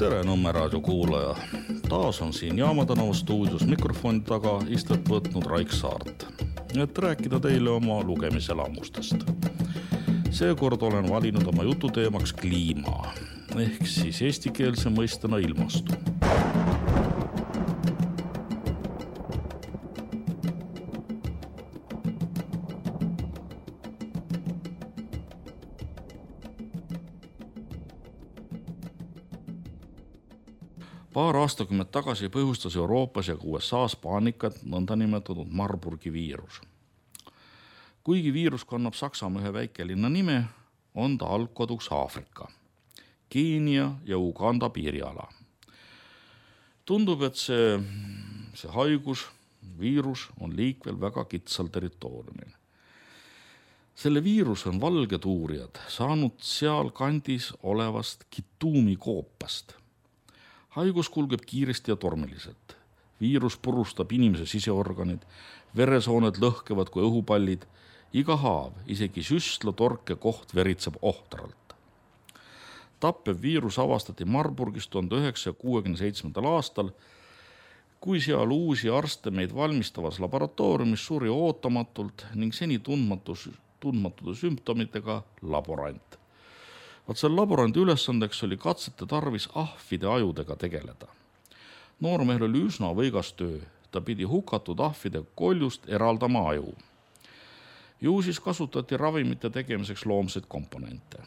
Tere Nõmme raadio kuulaja. Taas on siin Jaama tänava stuudios mikrofoni taga istet võtnud Raik Saart, et rääkida teile oma lugemiselamustest. Seekord olen valinud oma jututeemaks kliima, ehk siis eestikeelse mõistena ilmastu. Paar aastakümmet tagasi põhjustas Euroopas ja USAs paanikat nõndanimetatud Marburgi viirus. Kuigi viirus kannab Saksamaa ühe väikelinna nime, on ta algkoduks Aafrika, Keenia ja Uganda piiriala. Tundub, et see haigus, viirus on liikvel väga kitsal territooriumil. Selle viirus on valged uurijad saanud seal kandis olevast Kituumi koopast. Haigus kulgeb kiiresti ja tormiliselt. Viirus purustab inimese siseorganid, veresooned lõhkevad kui õhupallid, iga haav, isegi süstla torke koht veritseb ohtralt. Tappev viirus avastati Marburgis 1967. aastal, kui seal uusi arste meid valmistavas laboratooriumis suri ootamatult ning seni tundmatude sümptomitega laborant. Selle laborandi ülesandeks oli katsete tarvis ahvide ajudega tegeleda. Noormehel oli üsna võigas töö, ta pidi hukatud ahvide koljust eraldama aju. Ju siis kasutati ravimite tegemiseks loomseid komponente.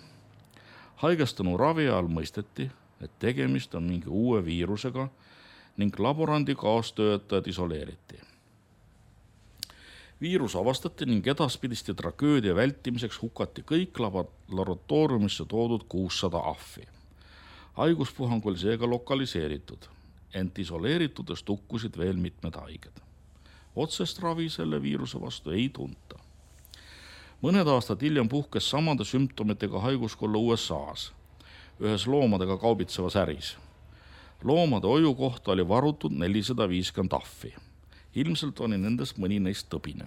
Haigestanu ravi all mõisteti, et tegemist on mingi uue viirusega ning laborandi kaastöötajad isoleeriti. Viirus avastati ning edaspidiste tragöödia vältimiseks hukati kõik laboratooriumisse toodud 600 ahvi. Haiguspuhang oli seega lokaliseeritud, ent isoleeritudest hukkusid veel mitmed haiged. Otsest ravi selle viiruse vastu ei tunta. Mõned aastad hiljem puhkes samade sümptomitega haiguskolla USAs, ühes loomadega kaubitsevas äris. Loomade hoiu kohta oli varutud 450 ahvi. Ilmselt oli nendest mõni neist tõbine.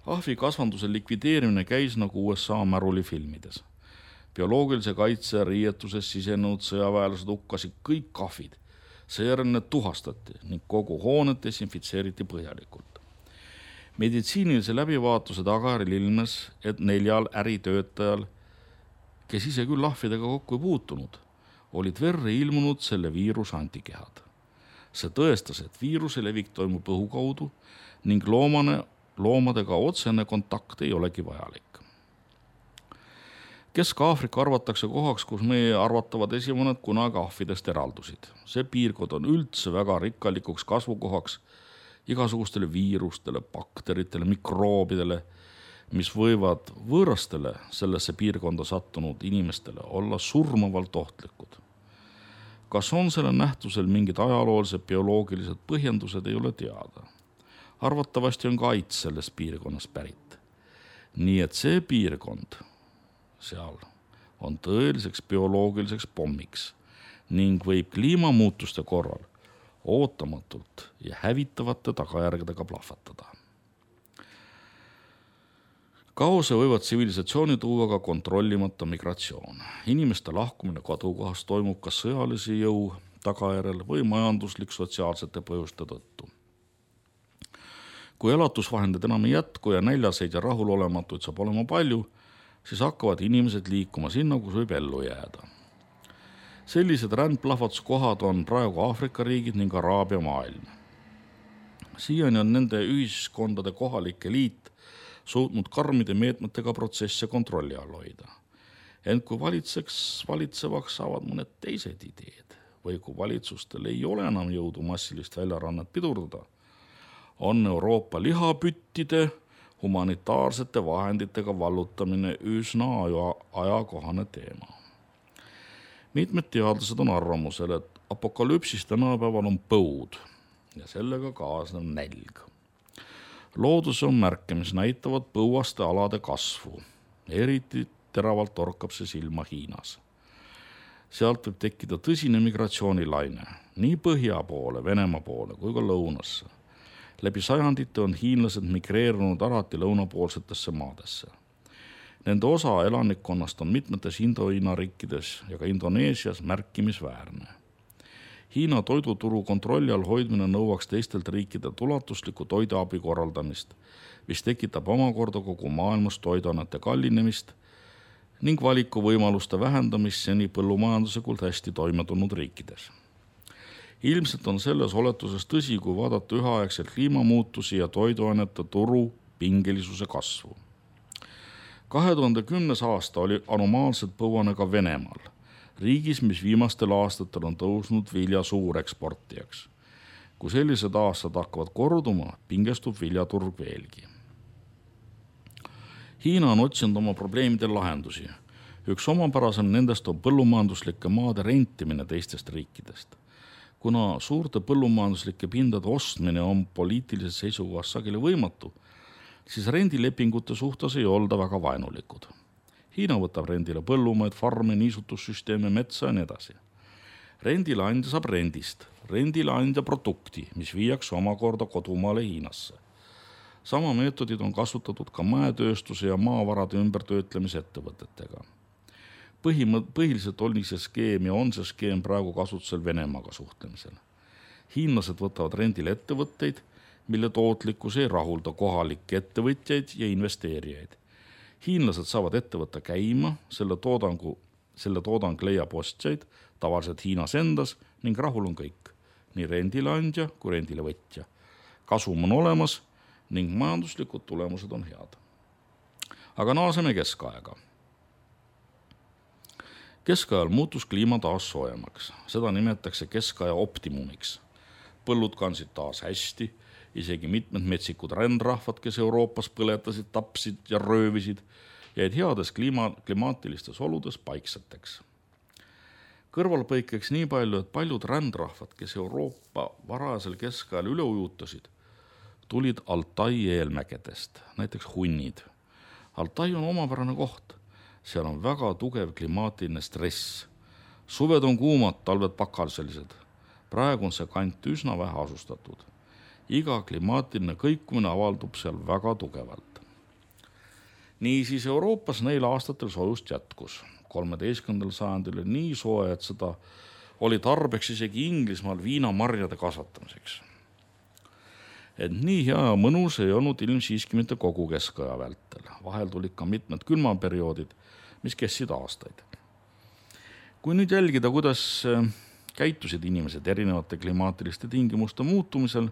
Ahvi kasvanduse likvideerimine käis nagu USA märulifilmides. Bioloogilise kaitse riietuses sisenenud sõjaväelased hukkasid kõik ahvid. Seejärel need tuhastati ning kogu hoonet desinfitseeriti põhjalikult. Meditsiinilise läbivaatuse tagajärjel ilmnes, et 4 äritöötajal, kes ise küll ahvidega kokku ei puutunud, olid verre ilmunud selle viiruse antikehad. See tõestas, et viiruse levik toimub õhu kaudu ning loomadega otsene kontakt ei olegi vajalik. Kesk-Aafrika arvatakse kohaks, kus meie arvatavad esimõned kunagi ahvidest eraldusid. See piirkond on üldse väga rikkalikuks kasvukohaks igasugustele viirustele, bakteritele, mikroobidele, mis võivad võõrastele sellesse piirkonda sattunud inimestele olla surmavalt ohtlikud. Kas on selle nähtusel mingid ajaloolised bioloogilised põhjendused, ei ole teada. Arvatavasti on ka AIDS selles piirkonnas pärit. Nii et see piirkond seal on tõeliseks bioloogiliseks pommiks ning võib kliimamuutuste korral ootamatult ja hävitavate tagajärgedega plahvatada. Kaose võivad tsivilisatsiooni tuua ka kontrollimata migratsioon. Inimeste lahkumine kodukohast toimub kas sõjalise jõu tagajärjel või majanduslik-sotsiaalsete põhjuste tõttu. Kui elatusvahendid enam ei jätku ja näljaseid ja rahulolematuid saab olema palju, siis hakkavad inimesed liikuma sinna, kus võib ellu jääda. Sellised rändplahvatuskohad on praegu Aafrika riigid ning Araabia maailm. Siiani on nende ühiskondade kohalik eliit suutnud karmide meetmetega protsesse kontrolli all hoida. Ent kui valitsevaks saavad mõned teised ideed või kui valitsustel ei ole enam jõudu massilist väljarannet pidurdada, on Euroopa lihapüttide humanitaarsete vahenditega vallutamine üsna ajakohane teema. Mitmed teadlased on arvamusel, et apokalüpsis tänapäeval on põud ja sellega kaasnev nälg. Loodus on märke, mis näitavad põuaste alade kasvu. Eriti teravalt torkab see silma Hiinas. Sealt võib tekkida tõsine migratsioonilaine, nii põhja poole, Venemaa poole kui ka lõunasse. Läbi sajandite on hiinlased migreerunud alati lõunapoolsetesse maadesse. Nende osa elanikkonnast on mitmetes Indohiina riikides ja ka Indoneesias märkimisväärne. Hiina toiduturu kontrolli all hoidmine nõuaks teistelt riikidelt ulatuslikku toiduabi korraldamist, mis tekitab omakorda kogu maailmas toiduainete kallinemist ning valikuvõimaluste vähendamist seni põllumajanduslikult hästi toime tulnud riikides. Ilmselt on selles oletuses tõsi, kui vaadata üheaegselt kliimamuutusi ja toiduainete turu pingelisuse kasvu. 2010. aasta oli anomaalselt põuane ka Venemaal, riigis, mis viimastel aastatel on tõusnud vilja suureksportijaks. Kui sellised aastad hakkavad korduma, pingestub viljaturg veelgi. Hiina on otsinud oma probleemidel lahendusi. Üks omapärasem nendest on põllumajanduslike maade rentimine teistest riikidest. Kuna suurte põllumajanduslike pindade ostmine on poliitilises seisukohast sageli võimatu, siis rendilepingute suhtes ei olda väga vaenulikud. Hiina võtab rendile põllumaid, farme, niisutussüsteeme, metsa ja nii edasi. Rendileandja saab rendist, rendileandja produkti, mis viiakse omakorda kodumaale Hiinasse. Sama meetodid on kasutatud ka mäetööstuse ja maavarade ümbertöötlemise ettevõtetega. Põhiliselt oli see skeem ja on see skeem praegu kasutusel Venemaaga suhtlemisel. Hiinlased võtavad rendile ettevõtteid, mille tootlikkus ei rahulda kohalikke ettevõtjaid ja investeerijaid. Hiinlased saavad ettevõtte käima, selle toodang leiab ostjaid, tavaliselt Hiinas endas ning rahul on kõik, nii rendileandja kui rendile võtja. Kasum on olemas ning majanduslikud tulemused on head. Aga naaseme keskaega. Keskajal muutus kliima taas soojemaks, seda nimetatakse keskaja optimumiks. Põllud kansid taas hästi, isegi mitmed metsikud rändrahvad, kes Euroopas põletasid, tapsid ja röövisid, jäid heades klimaatilistes oludes paikseteks. Kõrvalpõikeks nii palju, et paljud rändrahvad, kes Euroopa varajasel keskajal üle ujutasid, tulid Altai eelmägedest, näiteks hunnid. Altai on omapärane koht, seal on väga tugev klimaatiline stress. Suved on kuumad, talved pakaliselised. Praegu on see kant üsna vähe asustatud. Iga klimaatiline kõikumine avaldub seal väga tugevalt. Niisiis Euroopas neil aastatel soojust jätkus. 13. sajandil oli nii soe, et seda oli tarbeks isegi Inglismaal viinamarjade kasvatamiseks. Et nii hea ja mõnus ei olnud ilm siiski mitte kogu keskaja vältel. Vahel tulid ka mitmed külmaperioodid, mis kestsid aastaid. Kui nüüd jälgida, kuidas käitusid inimesed erinevate klimaatiliste tingimuste muutumisel,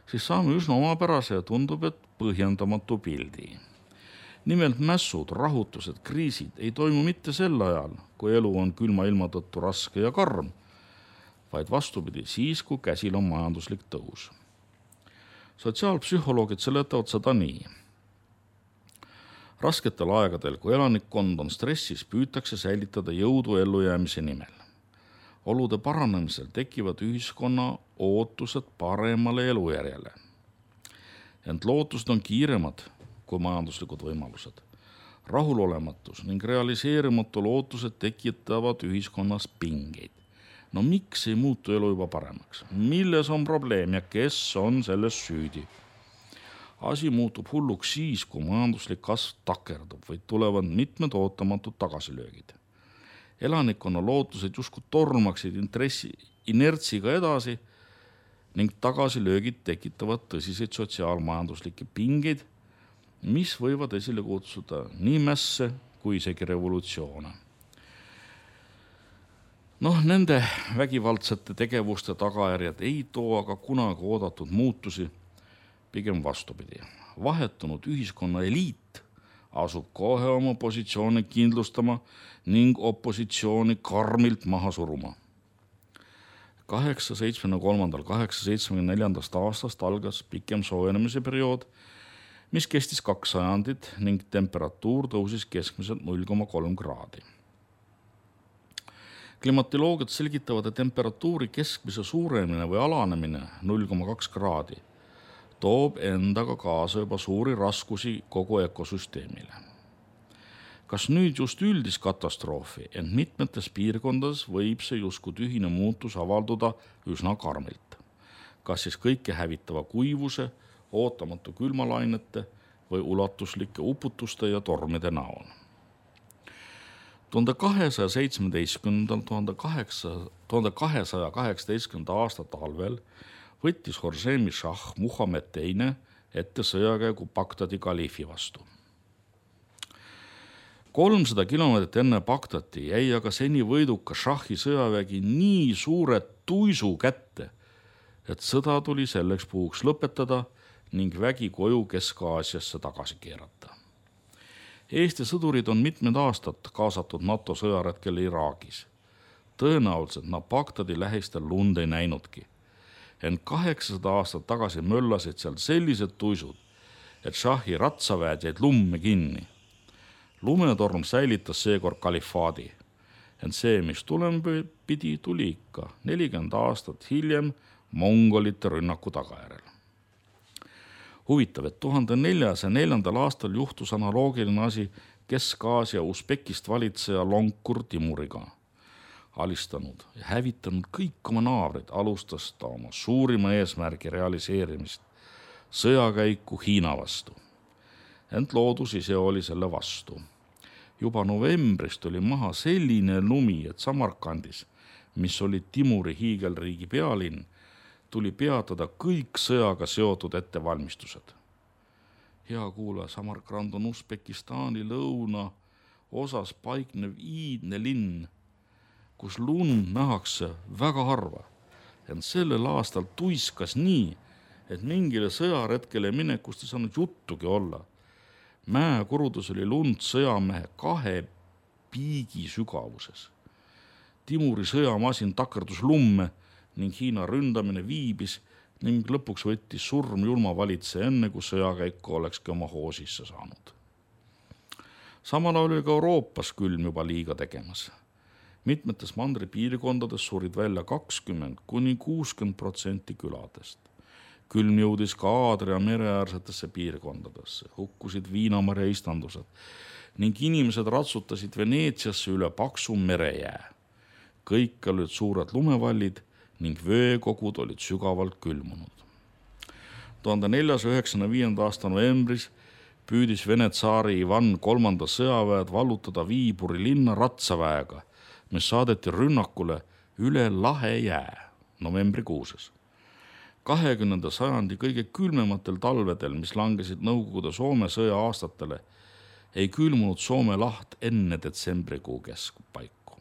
siis saame üsna omapärase ja tundub, et põhjendamatu pildi. Nimelt mässud, rahutused, kriisid ei toimu mitte sel ajal, kui elu on külma ilma tõttu raske ja karm, vaid vastupidi siis, kui käsil on majanduslik tõus. Sotsiaalpsühholoogid seletavad seda nii. Rasketel aegadel, kui elanikkond on stressis, püütakse säilitada jõudu ellujäämise nimel. Olude paranemisel tekivad ühiskonna ootused paremale elujärjele. Ent lootused on kiiremad kui majanduslikud võimalused. Rahulolematus ning realiseerimatu lootused tekitavad ühiskonnas pingeid. No miks ei muutu elu juba paremaks? Milles on probleem ja kes on selles süüdi? Asi muutub hulluks siis, kui majanduslik kasv takerdub või tulevad mitmed ootamatud tagasilöögid. Elanikkonna lootused justkui tormaksid inertsiga edasi ning tagasilöögid tekitavad tõsiseid sotsiaalmajanduslikke pingeid, mis võivad esile kutsuda nii mässe kui isegi revolutsioone. Nende vägivaldsete tegevuste tagajärjed ei too aga kunagi oodatud muutusi, pigem vastupidi. Vahetunud ühiskonna eliit asub kohe oma positsioone kindlustama ning opositsiooni karmilt maha suruma. 873.–874. aastast algas pikem soojenemise periood, mis kestis 2 sajandit ning temperatuur tõusis keskmiselt 0,3 kraadi. Klimatoloogiad selgitavad, et temperatuuri keskmise suurenemine või alanemine 0,2 kraadi toob endaga kaasa juba suuri raskusi kogu ökosüsteemile. Kas nüüd just üldis katastroofi, ent mitmetes piirkondades võib see justkui tühine muutus avalduda üsna karmilt. Kas siis kõike hävitava kuivuse, ootamatu külmalainete või ulatuslike uputuste ja tormide näol. 1218. aasta talvel võttis Horsemi šah Muhamed II ette sõjakäigu Bagdadi kaliifi vastu. 300 kilomeetrit enne Bagdadi jäi aga seni võiduka šahi sõjavägi nii suure tuisu kätte, et sõda tuli selleks puhuks lõpetada ning vägi koju Kesk-Aasiasse tagasi keerata. Eesti sõdurid on mitmed aastad kaasatud NATO sõjaretkel Iraagis. Tõenäoliselt nad Bagdadi lähistel lund ei näinudki. Ent 800 aastat tagasi möllasid seal sellised tuisud, et šahi ratsaväed jäid lumme kinni. Lumetorm säilitas seekord kalifaadi. Ent see, mis tulema pidi, tuli ikka 40 aastat hiljem mongolite rünnaku tagajärel. Huvitav, et 1404. aastal juhtus analoogiline asi Kesk-Aasia Usbekist valitseja Lonkur Timuriga. Alistanud ja hävitanud kõik oma naabrid, alustas ta oma suurima eesmärgi realiseerimist, sõjakäiku Hiina vastu. Ent loodus ise oli selle vastu. Juba novembris tuli maha selline lumi, et Samarkandis, mis oli Timuri hiigelriigi pealinn, tuli peatada kõik sõjaga seotud ettevalmistused. Hea kuulaja, Samarkand on Usbekistani lõuna osas paiknev iidne linn, kus lund nähakse väga harva. Ent sellel aastal tuiskas nii, et mingile sõjaretkele minekust ei saanud juttugi olla. Mäekurudus oli lund sõjamehe 2 piigi sügavuses. Timuri sõjamasin takerdus lumme ning Hiina ründamine viibis ning lõpuks võttis surm julma valitse enne, kui sõjakäiku olekski oma hoo sisse saanud. Samal oli ka Euroopas külm juba liiga tegemas. Mitmetes mandri piirkondades surid välja 20–60% küladest. Külm jõudis ka Aadria mereäärsetesse piirkondadesse, hukkusid Viinamarja istandused ning inimesed ratsutasid Veneetsiasse üle paksu merejää. Kõik olid suured lumevallid ning veekogud olid sügavalt külmunud. 1495. aasta novembris püüdis Vene tsaari Ivan III sõjaväed vallutada Viiburi linna ratsaväega, mis saadeti rünnakule üle Lahe jää novembrikuuses. 20. sajandi kõige külmematel talvedel, mis langesid Nõukogude Soome sõja aastatele, ei külmunud Soome laht enne detsembrikuu keskpaiku.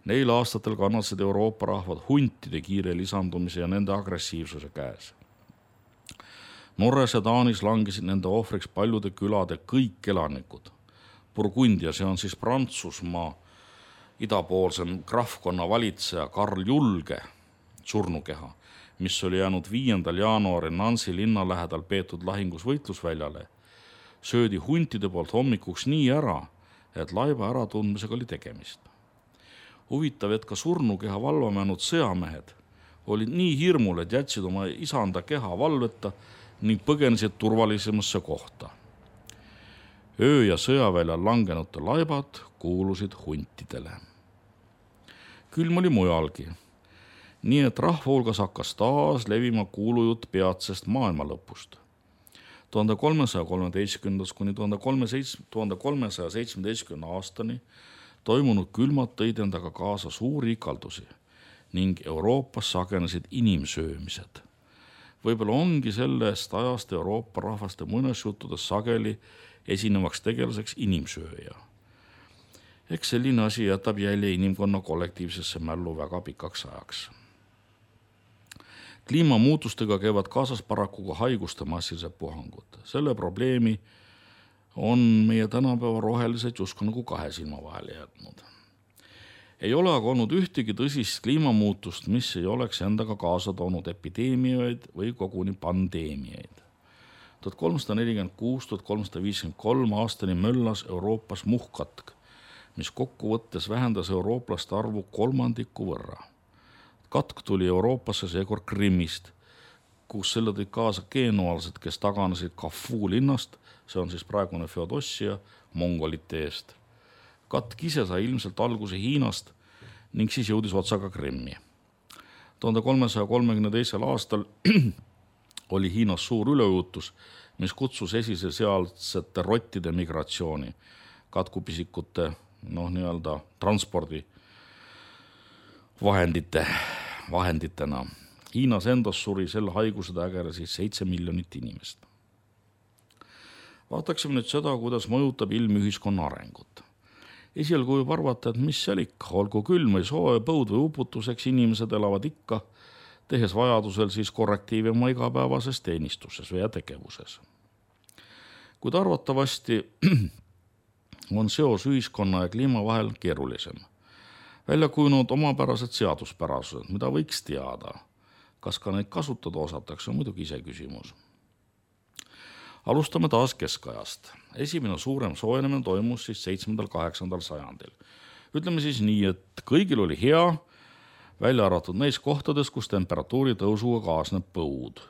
Neil aastatel kannatasid Euroopa rahvad huntide kiire lisandumise ja nende agressiivsuse käes. Norras ja Taanis langesid nende ohvriks paljude külade kõik elanikud. Burgundia, see on siis Prantsusmaa idapoolsem krahvkonna valitseja Karl Julge surnukeha, mis oli jäänud 5. jaanuaril Nancy linna lähedal peetud lahingus võitlusväljale, söödi huntide poolt hommikuks nii ära, et laiba äratundmisega oli tegemist. Huvitav, et ka surnukeha valvamäänud sõjamehed olid nii hirmul, et jätsid oma isanda keha valveta ning põgenesid turvalisemasse kohta. Öö ja sõjaväljal langenute laibad kuulusid huntidele. Külm oli mujalgi, nii et rahva hulgas hakkas taas levima kuulujutt peatsest maailma lõpust. 1313–1317 aastani toimunud külmad tõid endaga kaasa suuri ikaldusi ning Euroopas sagenesid inimsöömised. Võib-olla ongi sellest ajast Euroopa rahvaste muinasjuttudes sageli esinevaks tegelaseks inimsööja. Eks selline asi jätab jälje inimkonna kollektiivsesse mällu väga pikaks ajaks. Kliimamuutustega käivad kaasas paraku ka haiguste massilised puhangud. Selle probleemi on meie tänapäeva rohelised justkui nagu 2 silma vahele jätnud. Ei ole aga olnud ühtegi tõsist kliimamuutust, mis ei oleks endaga kaasa toonud epideemiaid või koguni pandeemiaid. 1346–1353 aastani möllas Euroopas muhkkatk, mis kokkuvõttes vähendas eurooplaste arvu 1/3 võrra. Katk tuli Euroopasse seekord Krimmist, kus selle tõid kaasa genualsed, kes taganesid Kafu linnast, see on siis praegune Feodossia, mongolite eest. Katk ise sai ilmselt alguse Hiinast ning siis jõudis otsaga Krimmi. 1332. aastal oli Hiinas suur üleujutus mis kutsus esile sealsete rottide migratsiooni, katkupisikute nii-öelda transpordi vahenditena. Hiinas endas suri selle haiguse tagajärjel 7 miljonit inimest. Vaataksime nüüd seda, kuidas mõjutab ilm ühiskonna arengut. Esialgu võib arvata, et mis seal ikka, olgu külm või soe, põud või uputuseks, inimesed elavad ikka, tehes vajadusel siis korrektiivi oma igapäevases teenistuses või tegevuses. Kuid arvatavasti on seos ühiskonna ja kliima vahel keerulisem. Välja kujunenud omapärased seaduspärasused, mida võiks teada. Kas ka neid kasutada osatakse, on muidugi ise küsimus. Alustame taas keskajast. Esimene suurem soojenemine toimus siis 7.–8. sajandil. Ütleme siis nii, et kõigil oli hea, välja arvatud neis kohtades, kus temperatuuri tõusuga kaasneb põud.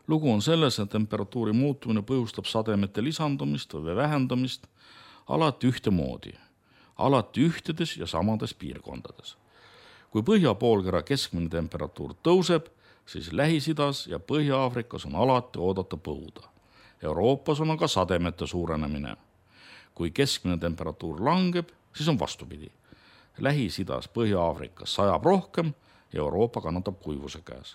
Lugu on selles, et temperatuuri muutumine põhjustab sademete lisandumist või vähendamist alati ühtemoodi, alati ühtedes ja samades piirkondades. Kui Põhja-poolkera keskmine temperatuur tõuseb, siis Lähis-Idas ja Põhja-Aafrikas on alati oodata põuda. Euroopas on aga sademete suurenemine. Kui keskmine temperatuur langeb, siis on vastupidi. Lähis-Idas, Põhja-Aafrikas sajab rohkem ja Euroopa kannatab kuivuse käes.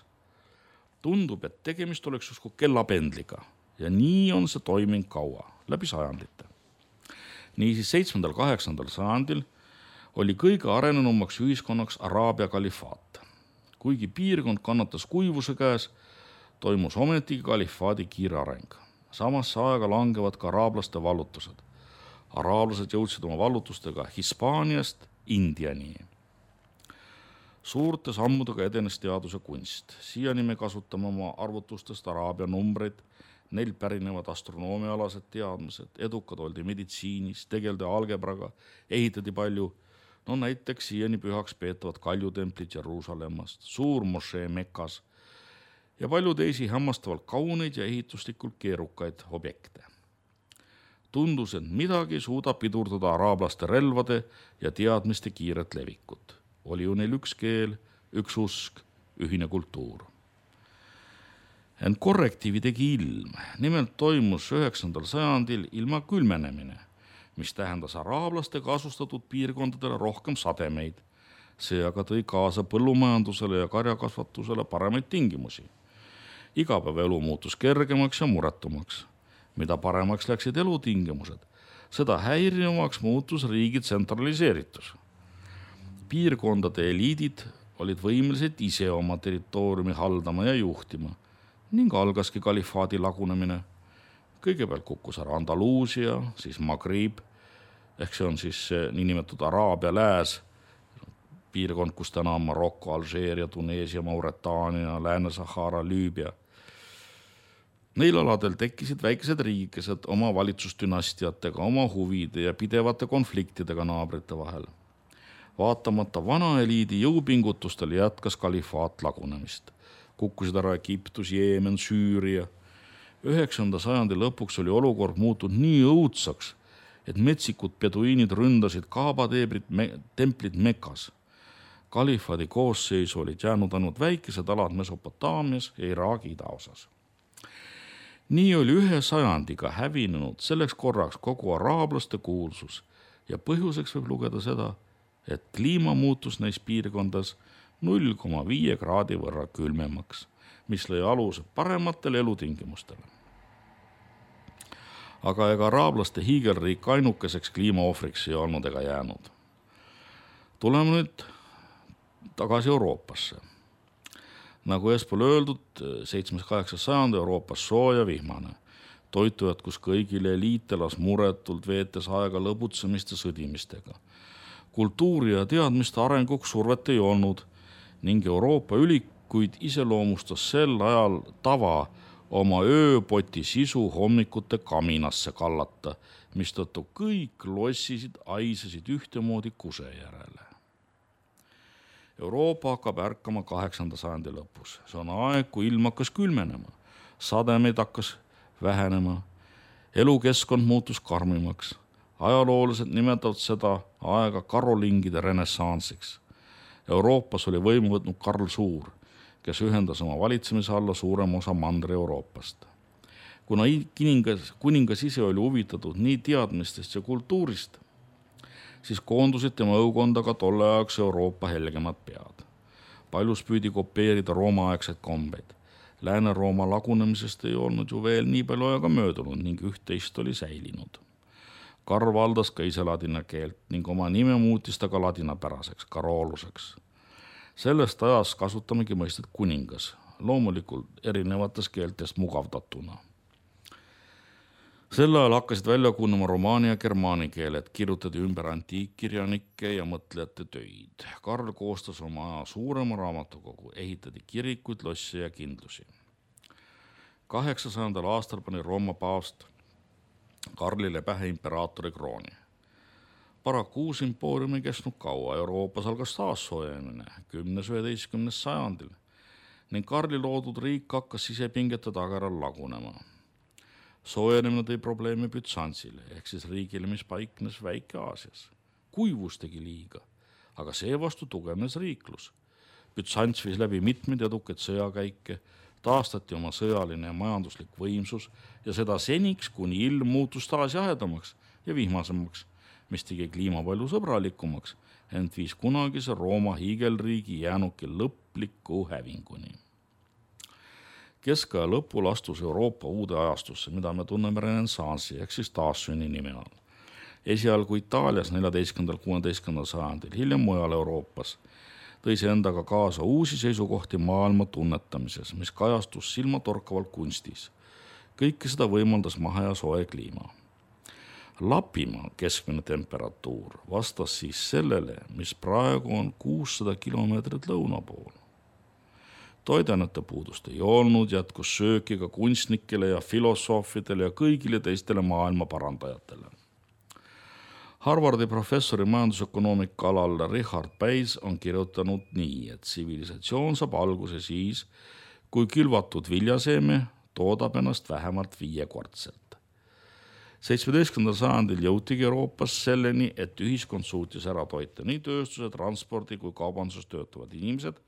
Tundub, et tegemist oleks justkui kellapendliga ja nii on see toiming kaua, läbi sajandite. Niisiis 7.–8. sajandil oli kõige arenenumaks ühiskonnaks Araabia kalifaat. Kuigi piirkond kannatas kuivuse käes, toimus ometigi kalifaadi kiire areng. Samasse aega langevad ka araablaste vallutused. Araablased jõudsid oma vallutustega Hispaaniast Indiani. Suurte sammudega edenes teaduse kunst. Siiani me kasutame oma arvutustest Araabia numbreid, neil pärinevad astronoomialased teadmised, edukad oldi meditsiinis, tegeldi algebraga, ehitati palju, näiteks siiani pühaks peetavad kaljutemplit Jeruusalemmast, suur mošee Mekas ja palju teisi hämmastavalt kauneid ja ehituslikult keerukaid objekte. Tundus, et midagi suudab pidurdada araablaste relvade ja teadmiste kiiret levikut. Oli ju neil üks keel, üks usk, ühine kultuur. Ent korrektiivi tegi ilm. Nimelt toimus 9. sajandil ilma külmenemine, mis tähendas araablaste kasustatud piirkondadele rohkem sademeid. See aga tõi kaasa põllumajandusele ja karjakasvatusele paremaid tingimusi. Igapäevaelu muutus kergemaks ja muretumaks. Mida paremaks läksid elutingimused, seda häirivamaks muutus riigi tsentraliseeritus. Piirkondade eliidid olid võimelised ise oma territooriumi haldama ja juhtima ning algaski kalifaadi lagunemine. Kõigepealt kukkus ära Andaluusia, siis Maghrib, ehk see on siis niinimetatud Araabia lääs, piirkond, kus täna on Marokko, Alžeeria, Tuneesia, Mauretaania, Lääne-Sahara, Lüübia. Neil aladel tekkisid väikesed riigikesed oma valitsusdynastiatega, oma huvide ja pidevate konfliktidega naabrite vahel. Vaatamata vana eliidi jõupingutustele jätkas kalifaat lagunemist. Kukkusid ära Egiptus, Jeemen, Süüria. 9. sajandi lõpuks oli olukord muutunud nii õudsaks, et metsikud peduiinid ründasid Kaaba-templit Mekas. Kalifaadi koosseisu olid jäänud ainult väikesed alad Mesopotaamias ja Iraagi idaosas. Nii oli 1 sajandiga hävinenud selleks korraks kogu araablaste kuulsus ja põhjuseks võib lugeda seda, et kliima muutus neis piirkondas 0,5 kraadi võrra külmemaks, mis lõi aluse parematele elutingimustele. Aga ega araablaste hiigelriik ainukeseks kliimaohvriks ei olnud ega jäänud. Tuleme nüüd tagasi Euroopasse. Nagu eespool öeldud, 7.–8. sajand Euroopas sooja vihmane. Toitu jätkus kõigile, eliit elas muretult, veetes aega lõbutsemist ja sõdimistega. Kultuuri ja teadmiste arenguks survet ei olnud ning Euroopa ülikuid iseloomustas sel ajal tava oma ööpoti sisu hommikute kaminasse kallata, mistõttu kõik lossisid, aisasid ühtemoodi kuse järele. Euroopa hakkab ärkama 8. sajandi lõpus. See on aeg, kui ilm hakkas külmenema, sademeid hakkas vähenema, elukeskkond muutus karmimaks. Ajaloolased nimetavad seda aega karolingide renessansiks. Euroopas oli võimu võtnud Karl Suur, kes ühendas oma valitsemise alla suurem osa Mandri-Euroopast. Kuna kuningas ise oli huvitatud nii teadmistest ja kultuurist, siis koondusid tema õukonda ka tolle ajaks Euroopa helgemad pead. Paljus püüdi kopeerida Rooma-aegseid kombeid. Lääne-Rooma lagunemisest ei olnud ju veel nii palju aega möödunud ning üht-teist oli säilinud. Karl valdas ka ise ladina keelt ning oma nime muutis ta ka ladinapäraseks, Karoluseks. Sellest ajast kasutamegi mõistet kuningas, loomulikult erinevates keeltest mugavdatuna. Sel ajal hakkasid välja kujunema romaani ja germaani keeled, kirjutati ümber antiikkirjanike ja mõtlejate töid. Karl koostas oma suurema raamatukogu, ehitati kirikuid, losse ja kindlusi. 800. aastal pani Rooma paavst Karlile pähe imperaatori krooni. Paraku uus impoorium ei kestnud kaua, Euroopas algas taassoojenemine 10.–11. sajandil ning Karli loodud riik hakkas sisepingete tagaral lagunema. Soojenemine tõi probleeme Bütsantsile ehk siis riigile, mis paiknes Väike-Aasias. Kuivus tegi liiga, aga seevastu tugevnes riiklus. Bütsants viis läbi mitmeid edukaid sõjakäike, taastati oma sõjaline ja majanduslik võimsus ja seda seniks, kuni ilm muutus taas jahedamaks ja vihmasemaks, mis tegi kliima palju sõbralikumaks, ent viis kunagise Rooma hiigelriigi jäänuki lõpliku hävinguni. Keskaja lõpul astus Euroopa uude ajastusse, mida me tunneme renessansi ehk siis taassünni nime all. Esialgu Itaalias 14.–16. sajandil, hiljem mujal Euroopas, tõi see endaga kaasa uusi seisukohti maailma tunnetamises, mis kajastus silmatorkavalt kunstis. Kõike seda võimaldas mahe ja soe kliima. Lapimaa keskmine temperatuur vastas siis sellele, mis praegu on 600 kilomeetrit lõuna pool. Toidanete puudust ei olnud, jätkus sööki ka kunstnikele ja filosoofidele ja kõigile teistele maailma parandajatele. Harvardi professori majandusökonoomika alal Richard Bayes on kirjutanud nii, et tsivilisatsioon saab alguse siis, kui külvatud viljaseeme toodab ennast vähemalt 5-kordselt. 17. sajandil jõutigi Euroopas selleni, et ühiskond suutis ära toita nii tööstuse, transpordi kui kaubanduses töötavad inimesed.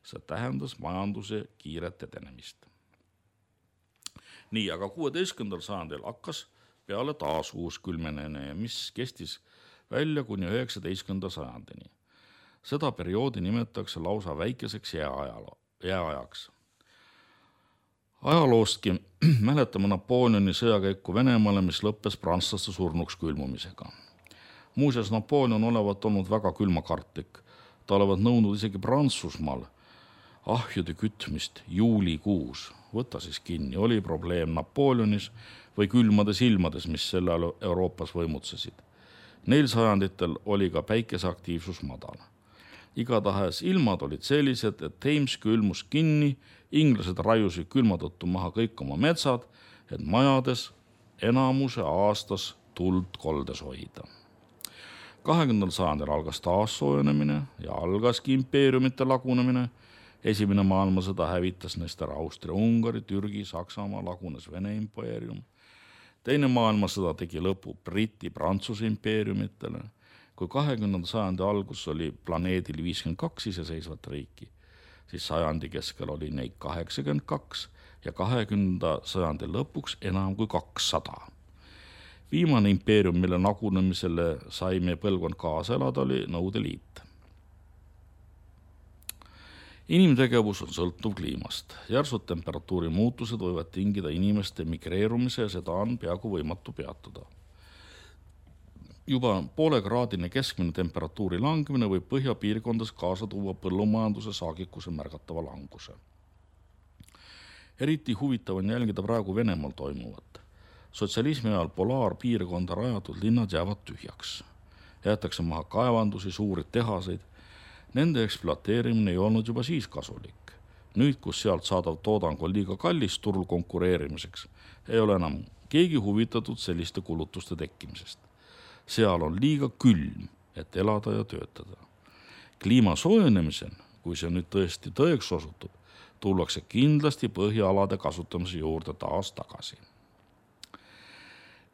See tähendas majanduse kiiret edenemist. Nii, aga 16. sajandil hakkas peale taas uus külmenemine, mis kestis välja kuni 19. sajandini. Seda perioodi nimetatakse lausa väikeseks jääajaks. Ajaloostki mäletame Napoleoni sõjakäiku Venemaale, mis lõppes prantslaste surnuks külmumisega. Muuseas, Napoleon olevat olnud väga külmakartlik. Ta olevat nõudnud isegi Prantsusmaal ahjude kütmist juulikuus. Võta siis kinni, oli probleem Napoleonis või külmades ilmades, mis selle ajal Euroopas võimutsesid. Neil sajanditel oli ka päikeseaktiivsus madal. Igatahes ilmad olid sellised, et Thames külmus kinni, inglased raiusid külma tõttu maha kõik oma metsad, et majades enamuse aastas tuld koldes hoida. 20. sajandil algas taas soojenemine ja algaski impeeriumite lagunemine. Esimene maailmasõda hävitas neist ära Austria, Ungari, Türgi, Saksamaa, lagunes Vene impeerium. Teine maailmasõda tegi lõpu Briti, Prantsuse impeeriumitele. Kui 20. sajandi algus oli planeedil 52 iseseisvat riiki, siis sajandi keskel oli neid 82 ja 20. sajandi lõpuks enam kui 200. Viimane impeerium, mille nagunemisele sai meie põlvkond kaasa elada, oli Nõukogude Liit. Inimtegevus on sõltuv kliimast. Järsud temperatuuri muutused võivad tingida inimeste migreerumise ja seda on peaaegu võimatu peatada. Juba 0,5-kraadine keskmine temperatuuri langemine võib põhjapiirkondades kaasa tuua põllumajanduse saagikuse märgatava languse. Eriti huvitav on jälgida praegu Venemaal toimuvat. Sotsialismi ajal polaarpiirkonda rajatud linnad jäävad tühjaks. Jäetakse maha kaevandusi, suuri tehaseid. Nende ekspluateerimine ei olnud juba siis kasulik. Nüüd, kus sealt saadav toodang on liiga kallis turul konkureerimiseks, ei ole enam keegi huvitatud selliste kulutuste tekkimisest. Seal on liiga külm, et elada ja töötada. Kliima soojenemisel, kui see nüüd tõesti tõeks osutub, tullakse kindlasti põhjaalade kasutamise juurde taas tagasi.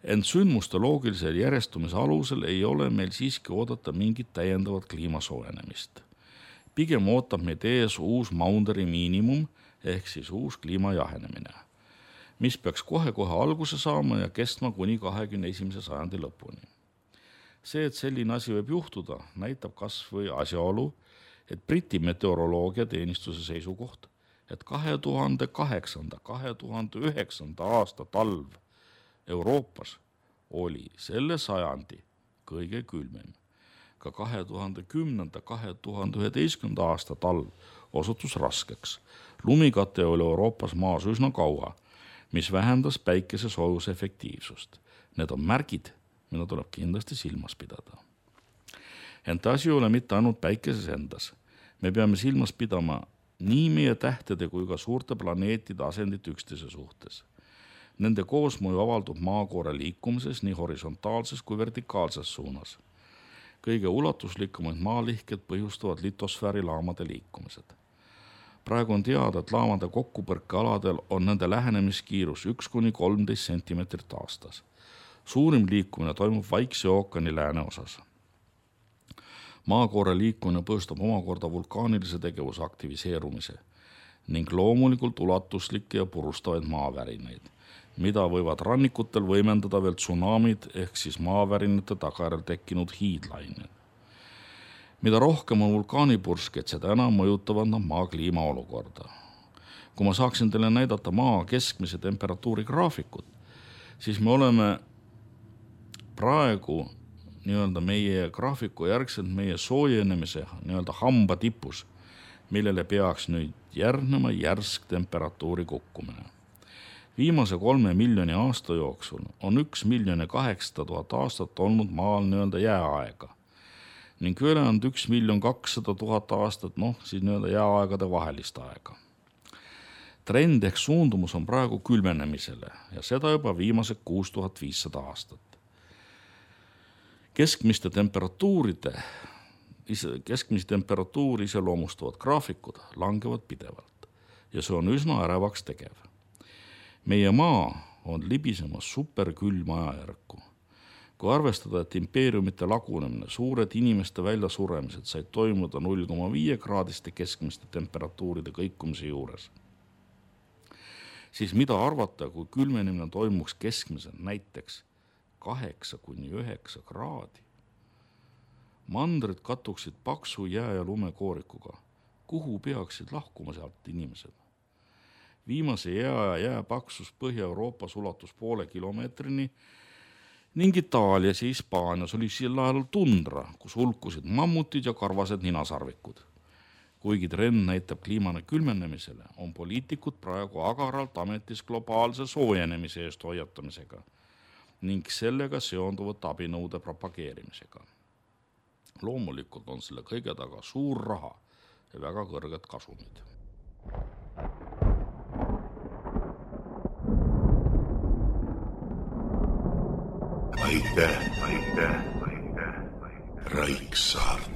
Ent sündmuste loogilisel järjestumise alusel ei ole meil siiski oodata mingit täiendavat kliima soojenemist. Pigem ootab meid ees uus Maunderi miinimum ehk siis uus kliima jahenemine. mis peaks kohe-kohe alguse saama ja kestma kuni 21. sajandi lõpuni. See, et selline asi võib juhtuda, näitab kas või asjaolu, et Briti meteoroloogiateenistuse seisukoht, et 2008-2009 aasta talv Euroopas oli selle sajandi kõige külmem. Ka 2010-2011 aasta talv osutus raskeks. Lumikate oli Euroopas maas üsna kaua, mis vähendas päikese soojuse efektiivsust. Need on märgid, mida tuleb kindlasti silmas pidada. Ent asi ei ole mitte ainult päikeses endas. Me peame silmas pidama nii meie tähtede kui ka suurte planeetide asendit üksteise suhtes. Nende koosmõju avaldub maakoore liikumises nii horisontaalses kui vertikaalses suunas. Kõige ulatuslikumad maalihked põhjustavad litosfääri laamade liikumised. Praegu on teada, et laamade kokkupõrkealadel on nende lähenemiskiirus 1-13 sentimeetrit aastas. Suurim liikumine toimub Vaikse ookeani lääneosas. Maakoore liikumine põhjustab omakorda vulkaanilise tegevuse aktiviseerumise ning loomulikult ulatuslikke ja purustavaid maavärinaid, mida võivad rannikutel võimendada veel tsunamid ehk siis maavärinate tagajärjel tekkinud hiidlained. Mida rohkem on vulkaanipurskeid, seda enam mõjutavad nad maa kliimaolukorda. Kui ma saaksin teile näidata maa keskmise temperatuuri graafikut, siis me oleme praegu meie graafiku järgselt meie soojenemise hamba tipus, millele peaks nüüd järgnema järsk temperatuuri kukkumine. Viimase 3 miljoni aasta jooksul on 1 800 000 aastat olnud maal jääaega ning ülejäänud 1 200 000 aastat, siis jääaegade vahelist aega. Trend ehk suundumus on praegu külmenemisele ja seda juba viimased 6500 aastat. Keskmiste temperatuuri iseloomustavad graafikud langevad pidevalt ja see on üsna ärevaks tegev. Meie maa on libisemas superkülma ajajärku. Kui arvestada, et impeeriumite lagunemine, suured inimeste väljasuremised said toimuda 0,5 kraadiste keskmiste temperatuuride kõikumise juures, siis mida arvata, kui külmenemine toimuks keskmiselt näiteks 8-9 kraadi? Mandrid katuksid paksu jää- ja lumekoorikuga. Kuhu peaksid lahkuma sealt inimesed? Viimase jääpaksus Põhja-Euroopas ulatus 0,5 kilomeetrini ning Itaalias ja Hispaanias oli sel ajal tundra, kus hulkusid mammutid ja karvased ninasarvikud. Kuigi trend näitab kliimane külmenemisele, on poliitikud praegu agaralt ametis globaalse soojenemise eest hoiatamisega ning sellega seonduvat abinõude propageerimisega. Loomulikult on selle kõige taga suur raha ja väga kõrged kasumid. Aitäh. Raiksaart.